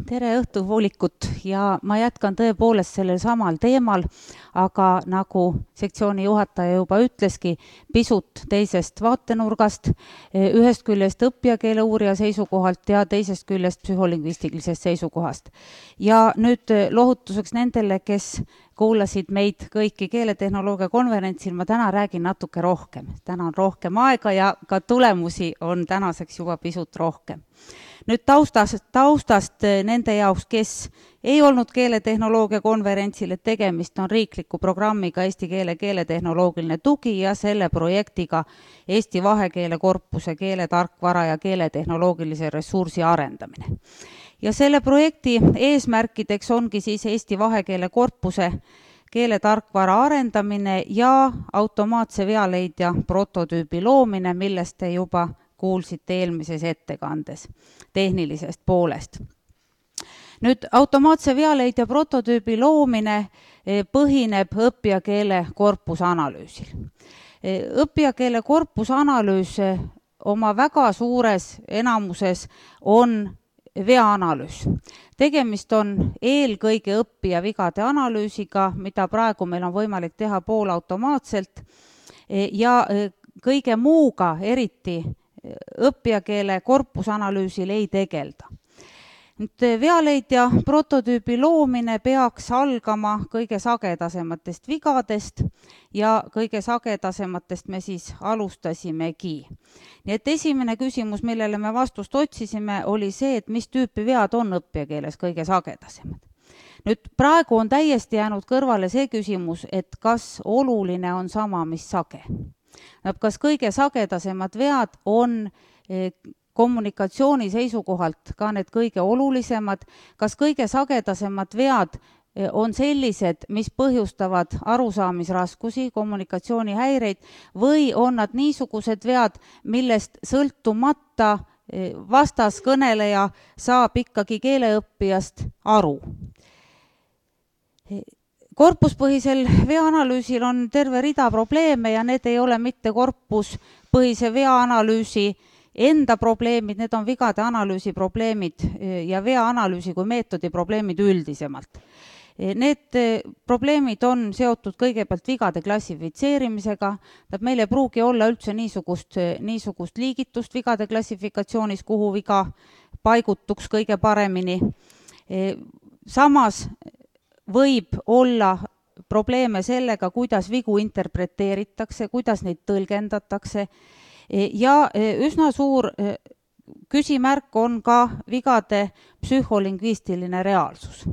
Tere õhtuvoolikut ja ma jätkan tõepoolest sellel samal teemal, aga nagu sektsiooni juhataja juba ütleski, pisut teisest vaatenurgast, ühest küljest õppijakeele uurija seisukohalt ja teisest küljest psühholingvistilisest seisukohast. Ja nüüd lohutuseks nendele, kes kuulasid meid kõiki keeletehnoloogia konverentsil, ma täna räägin natuke rohkem. Täna on rohkem aega ja ka tulemusi on tänaseks juba pisut rohkem. Nüüd taustast nende jaoks, kes ei olnud keeletehnoloogia konverentsil, et tegemist on riikliku programmiga Eesti keele keeletehnoloogiline tugi ja selle projektiga Eesti vahekeelekorpuse keeletarkvara ja keeletehnoloogilise ressursi arendamine. Ja selle projekti eesmärkideks ongi siis Eesti vahekeelekorpuse keeletarkvara arendamine ja automaatse vealeidja prototüübi loomine, millest te juba kuulsite eelmises ettekandes tehnilisest poolest. Nüüd automaatse vealeidja prototüübi loomine põhineb õppijakeele korpusanalüüsil. Õppijakeele korpusanalüüs oma väga suures enamuses on veaanalüüs. Tegemist on eelkõige õppija vigade analüüsiga, mida praegu meil on võimalik teha poolautomaatselt ja kõige muuga eriti õppijakeele korpusanalüüsil ei tegelda. Nüüd vealeidja prototüübi loomine peaks algama kõige sagedasematest vigadest ja kõige sagedasematest me siis alustasimegi. Nii et esimene küsimus, millele me vastust otsisime, oli see, et mis tüüpi vead on õppijakeeles kõige sagedasemad. Nüüd praegu on täiesti jäänud kõrvale see küsimus, et kas oluline on sama, mis sage. Kas kõige sagedasemad vead on kommunikatsiooni seisukohalt ka need kõige olulisemad, kas kõige sagedasemad vead on sellised, mis põhjustavad arusaamisraskusi, kommunikatsioonihäireid või on nad niisugused vead, millest sõltumata vastaskõneleja saab ikkagi keeleõppijast aru. Korpuspõhisel veaanalüüsil on terve rida probleeme ja need ei ole mitte korpuspõhise veaanalüüsi enda probleemid, need on vigade analüüsi probleemid ja veaanalüüsi kui meetodi probleemid üldisemalt. Need probleemid on seotud kõigepealt vigade klassifitseerimisega, meil ei pruugi olla üldse niisugust liigitust vigade klassifikatsioonis, kuhu viga paigutuks kõige paremini. Samas võib olla probleeme sellega, kuidas vigu interpreteeritakse, kuidas neid tõlgendatakse ja üsna suur küsimärk on ka vigade psühholingvistiline reaalsus.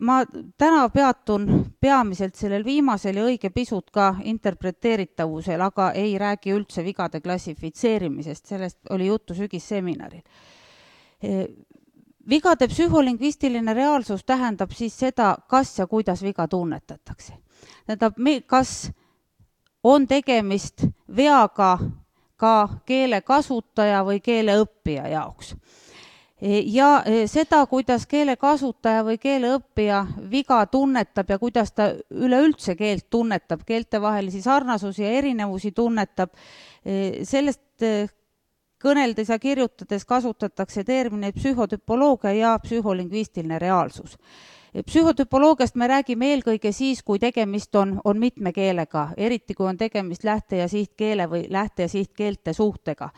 Ma täna peatun peamiselt sellel viimasel ja õige pisut ka interpreteeritavusel, aga ei räägi üldse vigade klassifitseerimisest, sellest oli juttu sügisseminaril. Vigade psühholingvistiline reaalsus tähendab siis seda, kas ja kuidas viga tunnetatakse. Tähendab, kas on tegemist veaga ka keele kasutaja või keele õppija jaoks. Ja seda, kuidas keele kasutaja või keele õppija viga tunnetab ja kuidas ta üleüldse keelt tunnetab, keeltevahelisi sarnasusi ja erinevusi tunnetab, sellest kõneldes ja kirjutades kasutatakse termineid psühhotüpoloogia ja psühholingvistiline reaalsus. Psühhotüpoloogiast me räägime eelkõige siis, kui tegemist on mitme keelega, eriti kui on tegemist lähte- ja sihtkeele või lähte- ja sihtkeelte suhtega.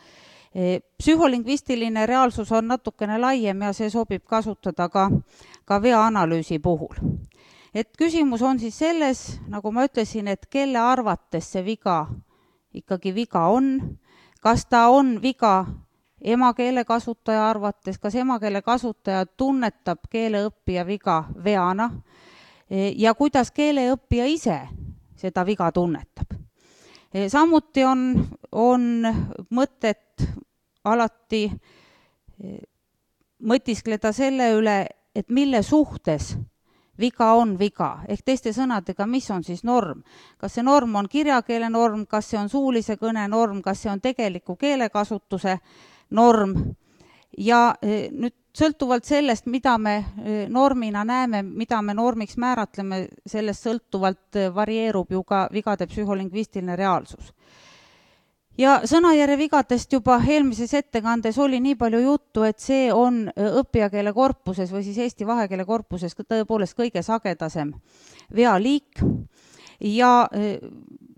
Psühholingvistiline reaalsus on natukene laiem ja see sobib kasutada ka veaanalüüsi puhul. Et küsimus on siis selles, nagu ma ütlesin, et kelle arvates see viga ikkagi viga on, kas ta on viga emakeele kasutaja arvates, kas emakeele kasutaja tunnetab keeleõppija viga veana ja kuidas keeleõppija ise seda viga tunnetab. Samuti on mõtet alati mõtiskleda selle üle, et mille suhtes viga on viga, ehk teiste sõnadega, mis on siis norm. Kas see norm on kirjakeele norm, kas see on suulise kõne norm, kas see on tegeliku keelekasutuse norm ja nüüd sõltuvalt sellest, mida me normina näeme, mida me normiks määratleme, sellest sõltuvalt varieerub ju ka vigade psühholingvistiline reaalsus. Ja sõnajärjevigadest juba eelmises ettekandes oli nii palju juttu, et see on õppijakeele korpuses või siis eesti vahekeele korpuses tõepoolest kõige sagedasem vealiik ja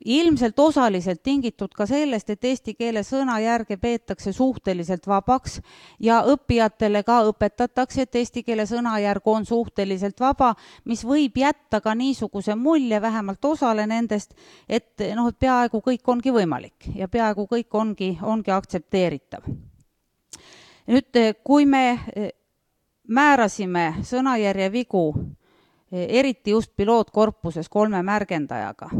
ilmselt osaliselt tingitud ka sellest, et eesti keele sõnajärge peetakse suhteliselt vabaks ja õppijatele ka õpetatakse, et eesti keele sõnajärg on suhteliselt vaba, mis võib jätta ka niisuguse mulje, vähemalt osale nendest, et peaaegu kõik ongi võimalik ja peaaegu kõik ongi aktsepteeritav. Nüüd, kui me määrasime sõnajärjevigu, eriti just pilootkorpuses 3 märgendajaga,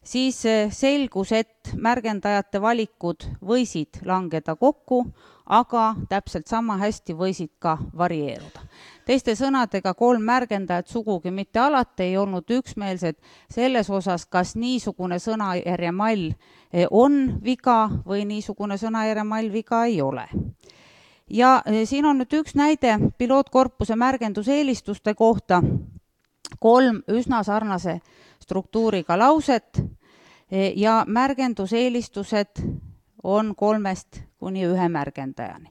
siis selgus, et märgendajate valikud võisid langeda kokku, aga täpselt sama hästi võisid ka varieeruda. Teiste sõnadega 3 märgendajat sugugi mitte alati ei olnud üksmeelsed selles osas, kas niisugune sõnajärjemall on viga või niisugune sõnajärjemall viga ei ole. Ja siin on nüüd üks näide pilootkorpuse märgenduseelistuste kohta, 3 üsna sarnase struktuuriga lauset ja märgenduseelistused on 3 kuni 1 märgendajani.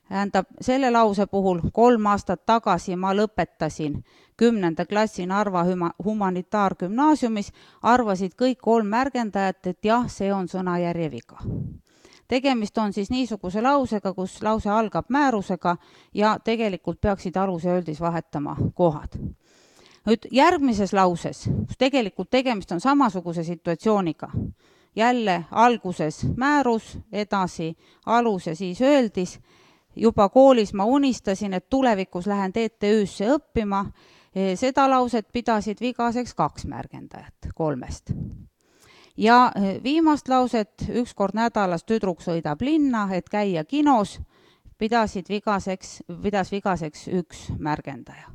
Tähendab, selle lause puhul 3 aastat tagasi ma lõpetasin 10. klassi Narva humanitaargümnaasiumis, arvasid kõik 3 märgendajat, et jah, see on sõnajärjeviga. Tegemist on siis niisuguse lausega, kus lause algab määrusega ja tegelikult peaksid alus ja öeldis vahetama kohad. Nüüd järgmises lauses, kus tegelikult tegemist on samasuguse situatsiooniga, jälle alguses määrus, edasi alus ja siis öeldis, juba koolis ma unistasin, et tulevikus lähen TTÜ-sse õppima, seda lauset pidasid vigaseks 2 märgendajat 3. Ja viimast lauset, 1 kord nädalas tüdruk sõidab linna, et käia kinos, pidas vigaseks 1 märgendaja.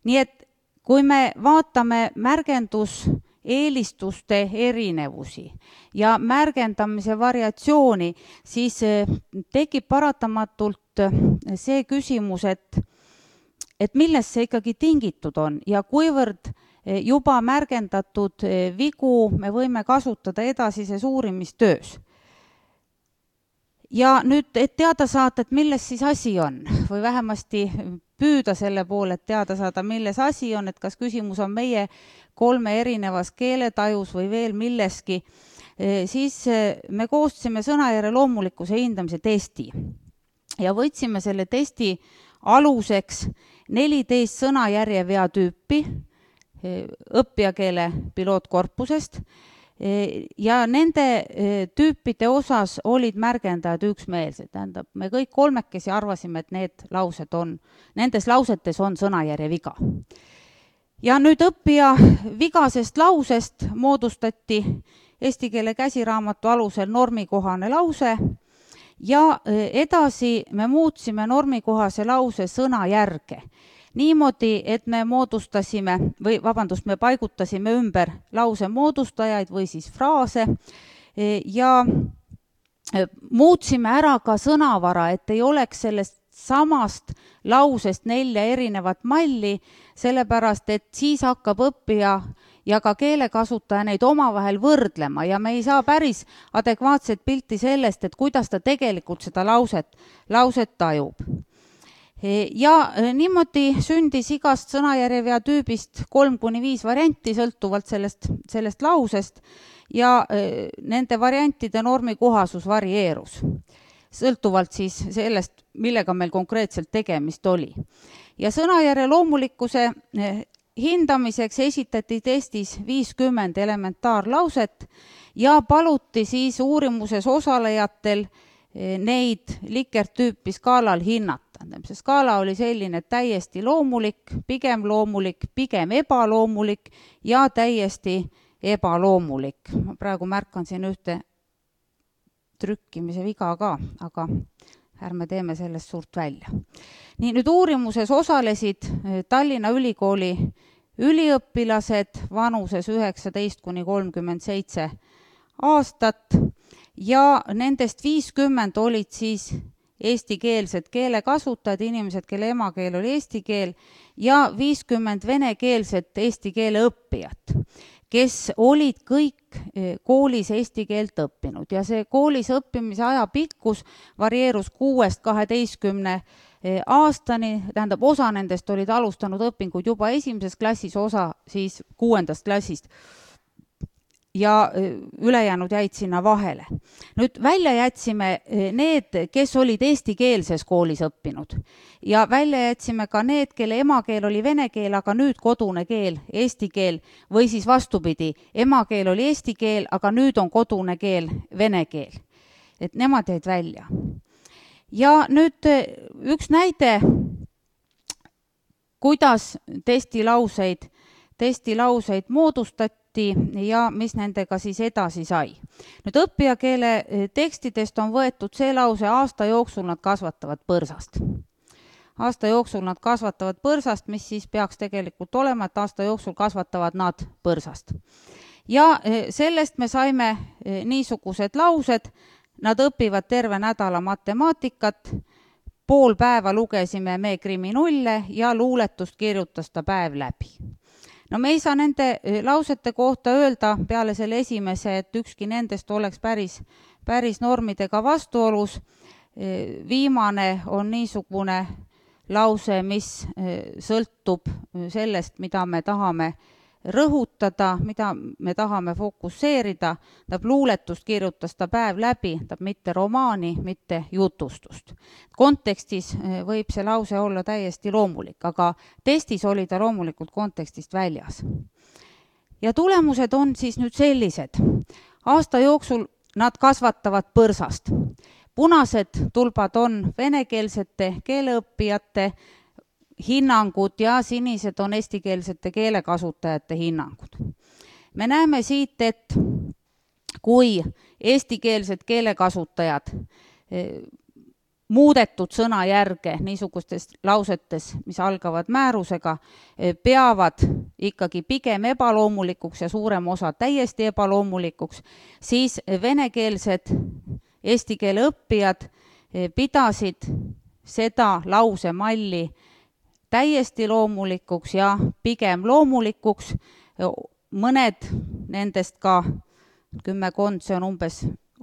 Nii et kui me vaatame märgenduseelistuste erinevusi ja märgendamise variatsiooni, siis tekib paratamatult see küsimus, et millest see ikkagi tingitud on ja kuivõrd juba märgendatud vigu me võime kasutada edasises uurimistöös. Ja nüüd, et teada saada, et milles siis asi on või vähemasti püüda selle poole, et teada saada, milles asi on, et kas küsimus on meie 3 erinevas keeletajus või veel milleski, siis me koostasime sõnajärje loomulikkuse hindamise testi ja võtsime selle testi aluseks 14 sõnajärje veatüüpi õppijakeele pilootkorpusest ja nende tüüpide osas olid märgendajad üksmeelsed. Tähendab, me kõik 3 arvasime, et nendes lausetes on sõnajärjeviga. Ja nüüd õppija vigasest lausest moodustati eesti keele käsiraamatu alusel normikohane lause ja edasi me muutsime normikohase lause sõnajärge. Niimoodi, et me paigutasime ümber lause moodustajaid või siis fraase ja muutsime ära ka sõnavara, et ei oleks sellest samast lausest 4 erinevat malli, sellepärast et siis hakkab õppija ja ka keelekasutaja neid omavahel võrdlema ja me ei saa päris adekvaatset pilti sellest, et kuidas ta tegelikult seda lauset tajub. Ja niimoodi sündis igast sõnajärjevea tüübist 3-5 varianti sõltuvalt sellest lausest ja nende variantide normikohasus varieerus, sõltuvalt siis sellest, millega meil konkreetselt tegemist oli. Ja sõnajärje loomulikkuse hindamiseks esitati testis 50 elementaarlauset ja paluti siis uurimuses osalejatel neid Likert-tüüpi skaalal hinnata. See skaala oli selline täiesti loomulik, pigem ebaloomulik ja täiesti ebaloomulik. Ma praegu märkan siin ühte trükkimise viga ka, aga ärme teeme sellest suurt välja. Nii, nüüd uurimuses osalesid Tallinna Ülikooli üliõpilased vanuses 19–37 aastat ja nendest 50 olid siis eestikeelsed keelekasutajad, inimesed, kelle emakeel oli eesti keel ja 50 venekeelset eesti keele õppijat, kes olid kõik koolis eesti keelt õppinud ja see koolis õppimise aja pikkus varieerus 6-12 aastani, tähendab, osa nendest olid alustanud õpinguid juba 1. klassis, osa siis 6. klassist. Ja ülejäänud jäid sinna vahele. Nüüd välja jätsime need, kes olid eestikeelses koolis õppinud ja välja jätsime ka need, kelle emakeel oli vene keel, aga nüüd kodune keel, eesti keel või siis vastupidi, emakeel oli eesti keel, aga nüüd on kodune keel vene keel. Et nemad jäid välja. Ja nüüd üks näide, kuidas testilauseid moodustati ja mis nendega siis edasi sai. Nüüd õppijakeele tekstidest on võetud see lause, aasta jooksul nad kasvatavad põrsast. Aasta jooksul nad kasvatavad põrsast, mis siis peaks tegelikult olema, et aasta jooksul kasvatavad nad põrsast. Ja sellest me saime niisugused laused, nad õpivad terve nädala matemaatikat, pool päeva lugesime me kriminulle ja luuletust kirjutas ta päev läbi. No me ei saa nende lausete kohta öelda peale selle esimese, et ükski nendest oleks päris normidega vastuolus. Viimane on niisugune lause, mis sõltub sellest, mida me tahame rõhutada, mida me tahame fokusseerida. Luuletust kirjutas ta päev läbi, mitte romaani, mitte jutustust. Kontekstis võib see lause olla täiesti loomulik, aga testis oli ta loomulikult kontekstist väljas. Ja tulemused on siis nüüd sellised. Aasta jooksul nad kasvatavad põrsast. Punased tulbad on venekeelsete keeleõppijate hinnangud ja sinised on eestikeelsete keelekasutajate hinnangud. Me näeme siit, et kui eestikeelsed keelekasutajad muudetud sõnajärge niisugustes lausetes, mis algavad määrusega, peavad ikkagi pigem ebaloomulikuks ja suurem osa täiesti ebaloomulikuks, siis venekeelsed eesti keele õppijad pidasid seda lausemalli täiesti loomulikuks ja pigem loomulikuks. Mõned nendest ka 10, see on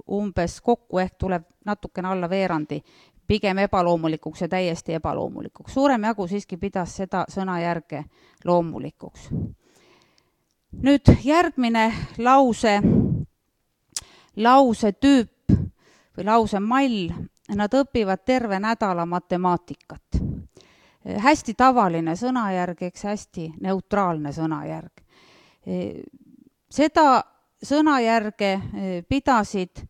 umbes kokku, ehk tuleb natukene alla veerandi, pigem ebaloomulikuks ja täiesti ebaloomulikuks. Suurem jagu siiski pidas seda sõnajärge loomulikuks. Nüüd järgmine lause tüüp või lause mall, nad õpivad terve nädala matemaatikat. Hästi tavaline sõnajärg, eks hästi neutraalne sõnajärg. Seda sõnajärge pidasid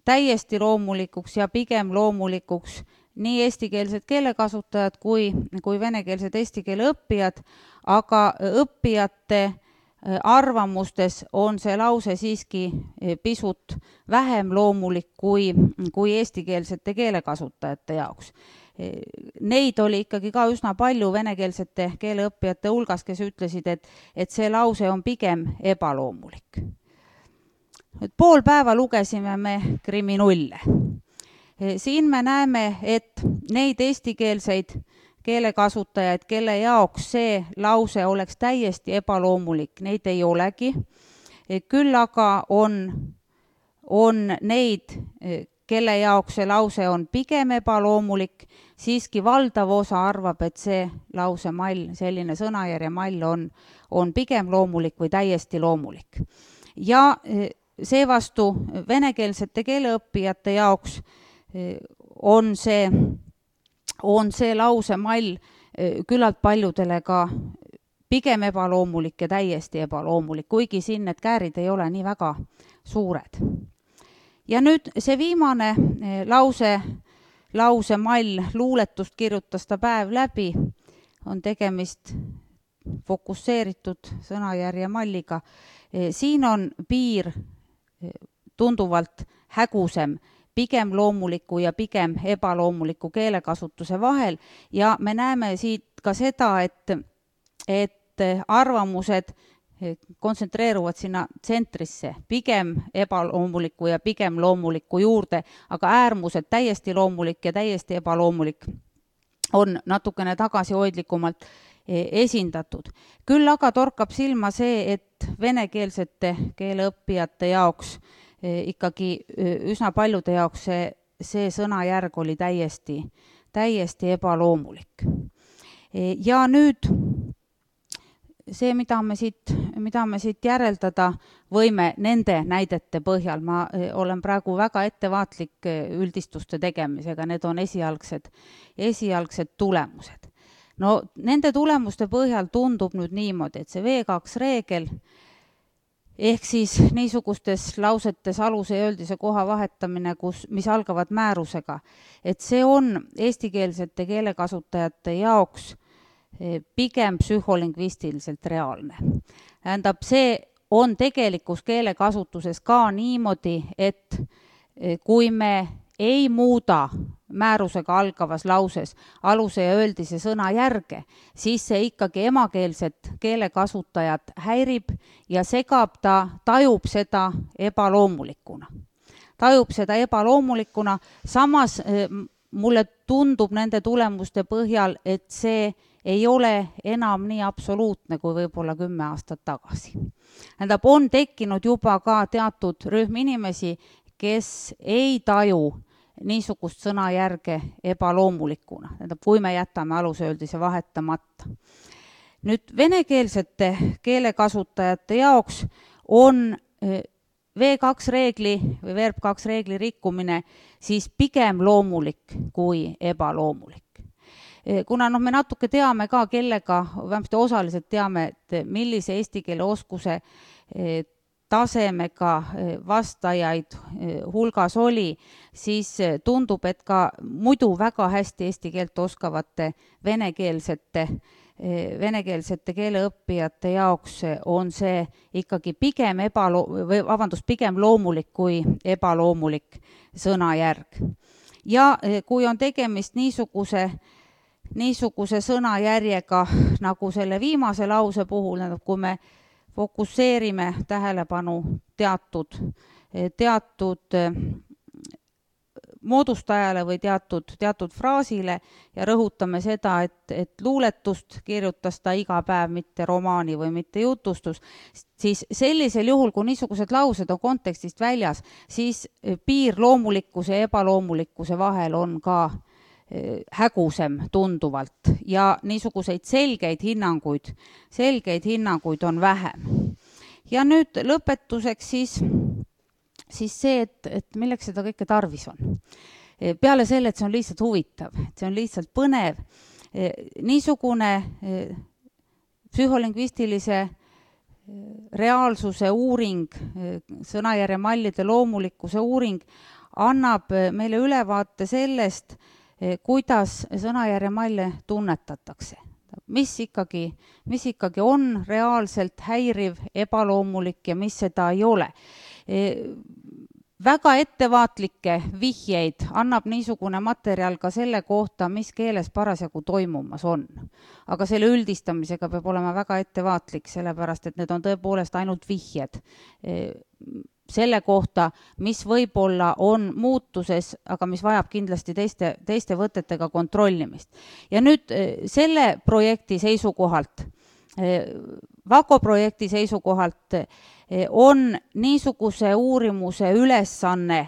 täiesti loomulikuks ja pigem loomulikuks nii eestikeelsed keelekasutajad kui venekeelsed eesti keele õppijad, aga õppijate arvamustes on see lause siiski pisut vähem loomulik kui eestikeelsete keelekasutajate jaoks. Neid oli ikkagi ka üsna palju venekeelsete keeleõppijate hulgas, kes ütlesid, et see lause on pigem ebaloomulik. Pool päeva lugesime me kriminulle. Siin me näeme, et neid eestikeelseid keelekasutajaid, kelle jaoks see lause oleks täiesti ebaloomulik, neid ei olegi. Küll aga on neid, kelle jaoks see lause on pigem ebaloomulik, siiski valdav osa arvab, et see lausemall, selline sõnajärje mall on pigem loomulik või täiesti loomulik. Ja seevastu venekeelsete keeleõppijate jaoks on see lausemall küllalt paljudele ka pigem ebaloomulik ja täiesti ebaloomulik, kuigi siin need käärid ei ole nii väga suured. Ja nüüd see viimane lausemall, luuletust kirjutas ta päev läbi, on tegemist fokusseeritud sõnajärje malliga. Siin on piir tunduvalt hägusem, pigem loomuliku ja pigem ebaloomuliku keelekasutuse vahel ja me näeme siit ka seda, et arvamused kontsentreeruvad sinna tsentrisse, pigem ebaloomuliku ja pigem loomuliku juurde, aga äärmused täiesti loomulik ja täiesti ebaloomulik on natukene tagasihoidlikumalt esindatud. Küll aga torkab silma see, et venekeelsete keeleõppijate jaoks ikkagi üsna paljude jaoks see sõnajärg oli täiesti ebaloomulik. Ja nüüd see, mida me siit järeldada võime nende näidete põhjal, ma olen praegu väga ettevaatlik üldistuste tegemisega, need on esialgsed tulemused. No nende tulemuste põhjal tundub nüüd niimoodi, et see V2 reegel ehk siis niisugustes lausetes aluse ja üldise koha vahetamine, mis algavad määrusega, et see on eestikeelsete keelekasutajate jaoks pigem psühholingvistiliselt reaalne. Tähendab, see on tegelikus keelekasutuses ka niimoodi, et kui me ei muuda määrusega algavas lauses aluse ja üldise sõna järge, siis see ikkagi emakeelset keelekasutajat häirib ja segab tajub seda ebaloomulikuna. Samas mulle tundub nende tulemuste põhjal, et see ei ole enam nii absoluutne kui võib-olla 10 aastat tagasi. Tähendab, on tekkinud juba ka teatud rühm inimesi, kes ei taju niisugust sõnajärge ebaloomulikuna, tähendab, kui me jätame aluse üldise vahetamata. Nüüd venekeelsete keelekasutajate jaoks on V2 reegli või verb 2 reegli rikkumine siis pigem loomulik kui ebaloomulik. Kuna me natuke teame ka, kellega, vähemasti osaliselt teame, et millise eesti keele oskuse tasemega vastajaid hulgas oli, siis tundub, et ka muidu väga hästi eesti keelt oskavate venekeelsete keeleõppijate jaoks on see ikkagi pigem loomulik kui ebaloomulik sõnajärg. Ja kui on tegemist niisuguse sõnajärjega nagu selle viimase lause puhul, kui me fokusseerime tähelepanu teatud moodustajale või teatud fraasile ja rõhutame seda, et luuletust kirjutas ta iga päev, mitte romaani või mitte jutustus, siis sellisel juhul, kui niisugused laused on kontekstist väljas, siis piir loomulikkuse ja ebaloomulikkuse vahel on ka hägusem tunduvalt ja niisuguseid selgeid hinnanguid on vähem. Ja nüüd lõpetuseks siis see, et milleks seda kõike tarvis on. Peale selle, et see on lihtsalt huvitav, et see on lihtsalt põnev, niisugune psühholingvistilise reaalsuse uuring, sõnajärjemallide loomulikkuse uuring annab meile ülevaate sellest, kuidas sõnajärjemalle tunnetatakse. Mis ikkagi on reaalselt häiriv, ebaloomulik ja mis seda ei ole. Väga ettevaatlikke vihjeid annab niisugune materjal ka selle kohta, mis keeles parasjagu toimumas on. Aga selle üldistamisega peab olema väga ettevaatlik, sellepärast et need on tõepoolest ainult vihjed selle kohta, mis võib-olla on muutuses, aga mis vajab kindlasti teiste võtetega kontrollimist. Ja nüüd selle projekti seisukohalt, VAKO projekti seisukohalt on niisuguse uurimuse ülesanne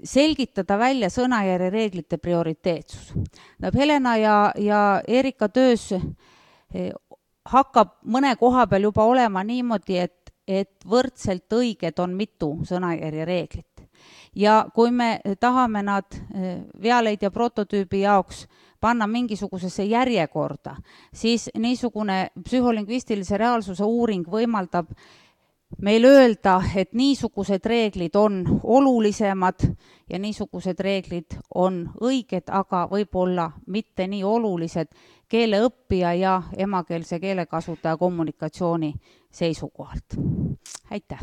selgitada välja sõnajärje reeglite prioriteetsus. Helena ja Erika töös hakkab mõne koha peal juba olema niimoodi, et võrdselt õiged on mitu sõnajärje reeglit. Ja kui me tahame nad vealeidja prototüübi jaoks panna mingisugusesse järjekorda, siis niisugune psühholingvistilise reaalsuse uuring võimaldab meil öelda, et niisugused reeglid on olulisemad ja niisugused reeglid on õiged, aga võib-olla mitte nii olulised keeleõppija ja emakeelse keelekasutaja kommunikatsiooni seisukohalt. Aitäh!